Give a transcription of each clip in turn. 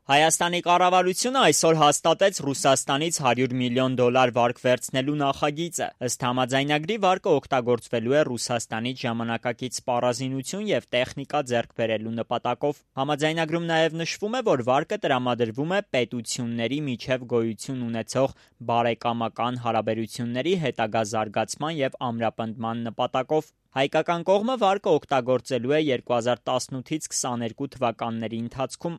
Հայաստանի կառավարությունը այսօր հաստատեց Ռուսաստանից $100 միլիոն վարկ վերցնելու նախագիծը։ Ըստ համաձայնագրի վարկը օգտագործվելու է Ռուսաստանից ժամանակակից սպառազինություն և տեխնիկա ձեռք բերելու նպատակով։ Համաձայնագրում նաև նշվում է, որ վարկը տրամադրվում է պետությունների միջև գոյություն ունեցող բարեկամական հարաբերությունների հետագա զարգացման և ամրապնդման նպատակով։ Հայկական կողմը վարկը օգտագործելու է 2018-ից 22 թվականների ընթացքում։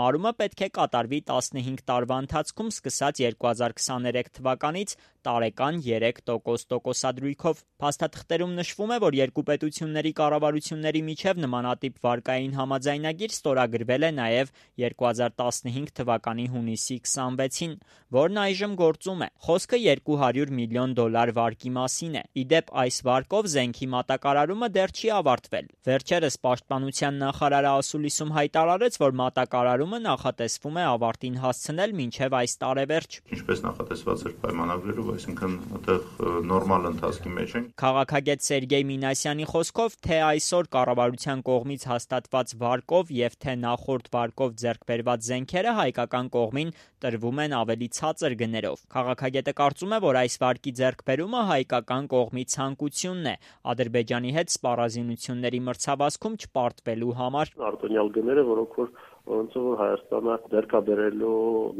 Մարումը պետք է կատարվի 15 տարվա ընթացքում սկսած 2023 թվականից տարեկան 3% տոկոսադրույքով։ Փաստաթղթերում նշվում է, որ երկու պետությունների կառավարությունների միջև նմանատիպ վարկային համաձայնագիր ստորագրվել է նաև 2015 թվականի հունիսի 26-ին, որն այժմ գործում է։ Խոսքը $200 միլիոն վարկի մասին է։ Ի դեպ, այս վարկով զենքի մատակարարումը դեռ չի ավարտվել։ Վերջերս Պաշտպանության նախարարը ասուլիսում հայտարարեց, որ մատակարարումը նախատեսվում է ավարտին հասցնել մինչև այս տարեվերջ։ Ինչպես նախատեսված էր պայմանագրերով, այսինքն այդտեղ նորմալ ընթացքի մեջ ենք։ Քաղաքագետ Սերգեյ Մինասյանի խոսքով, թե այսօր կառավարության կողմից հաստատված վարկով և թե նախորդ վարկով ձեռք բերված զենքերը հայկական կողմին տրվում են ավելի ցածր գներով։ Քաղաքագետը կարծում է, որ այս վարկի ձեռքբերումը հայկական կողմի ցանկությունն է Ադրբեջանի հետ սպառազինությունների մրցավազքում չպարտվելու համար։ Արտոնյալ գները, որոնց որ Հայաստանը ձեռքաբերելու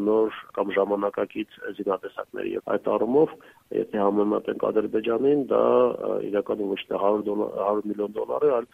նոր կամ ժամանակակից զինատեսակների եւ այդ առումով, եթե համեմատենք Ադրբեջանին, դա իրականում ոչ թե $100 միլիոն է, այլ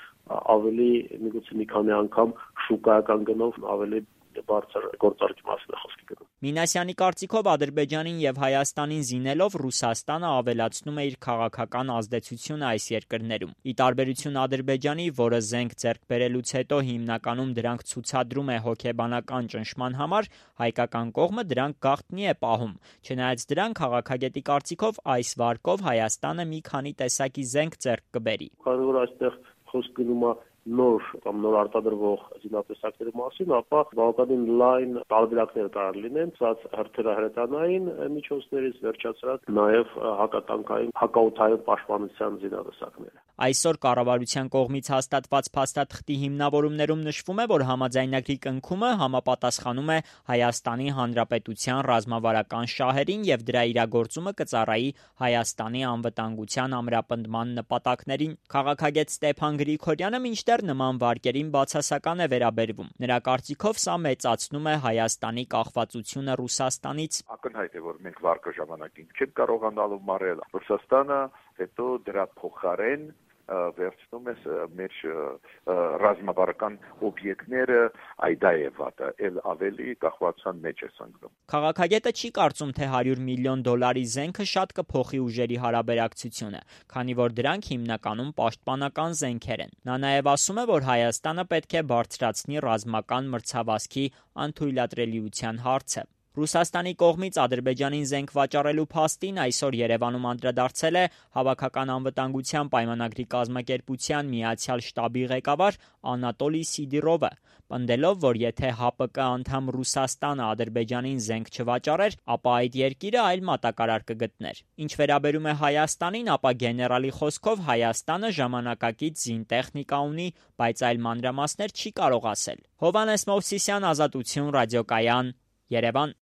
ավելի միգուցե մի քանի անգամ շուկայական գնով ավելի բարձր գործարքի մասին է խոսքը գնում։ Մինասյանի կարծիքով Ադրբեջանին եւ Հայաստանին զինելով Ռուսաստանը ավելացնում է իր քաղաքական ազդեցությունը այս երկրներում։ Ի տարբերություն Ադրբեջանի, որը զենք ձեռք բերելուց հետո հիմնականում դրանք ցուցադրում է հոգեբանական ճնշման համար, հայկական կողմը դրանք գաղտնի է պահում։ Չնայած դրան, քաղաքագետի կարծիքով այս վարկով Հայաստանը մի քանի տեսակի զենք ձեռք կբերի։ Քանի որ այստեղ խոսք գնում է նոր արտադրվող զինատեսակների մասին, ապա բավականին լայն տարբերակներ կարող լինեն, ցած հրթիռահրետանային միջոցներից վերջացրած նաև հակատանկային, հակաօդային պաշտպանության զինատեսակները։ Այսօր կառավարության կողմից հաստատված փաստաթղթի հիմնավորումներում նշվում է, որ համաձայնագրի կնքումը համապատասխանում է Հայաստանի Հանրապետության ռազմավարական շահերին և դրա իրագործումը կծառայի Հայաստանի անվտանգության ամրապնդման նպատակներին։ Քաղաքագետ Ստեփան Գրիգորյանը մինչդեռ նման վարկերին բացասական է վերաբերվում։ Նրա կարծիքով սա մեծացնում է Հայաստանի կախվածությունը Ռուսաստանից։ Ակնհայտ է, որ մենք վարկը ժամանակին չենք կարողանալու մարել։ Ռուսաստանը հետո դրա փոխարեն վերցնում է մեր ռազմավարական օբյեկտները, դա է վատը, էլ ավելի կախվածության մեջ է սնգնում։ Քաղաքագետը չի կարծում, թե $100 միլիոն զենքը շատ կփոխի ուժերի հարաբերակցությունը, քանի որ դրանք հիմնականում պաշտպանական զենքեր են։ Նա նաև ասում է, որ Հայաստանը պետք է բարձրացնի ռազմական մրցավազքի անթույլատրելիության հարցը։ Ռուսաստանի կողմից Ադրբեջանին զենք վաճառելու փաստին այսօր Երևանում անդրադարձել է Հավաքական անվտանգության պայմանագրի կազմակերպության Միացյալ շտաբի ղեկավար Անատոլի Սիդիրովը, պնդելով, որ եթե ՀԱՊԿ անդամ Ռուսաստանը Ադրբեջանին զենք չվաճառեր, ապա այդ երկիրը այլ մատակարար կգտներ։ Ինչ վերաբերում է Հայաստանին, ապա գեներալի խոսքով Հայաստանը ժամանակակից զինտեխնիկա ունի, բայց այլ մանրամասներ չի կարող ասել։ Հովհաննես Մովսիսյան, Ազատություն, Ռադիոկայան, Երևան։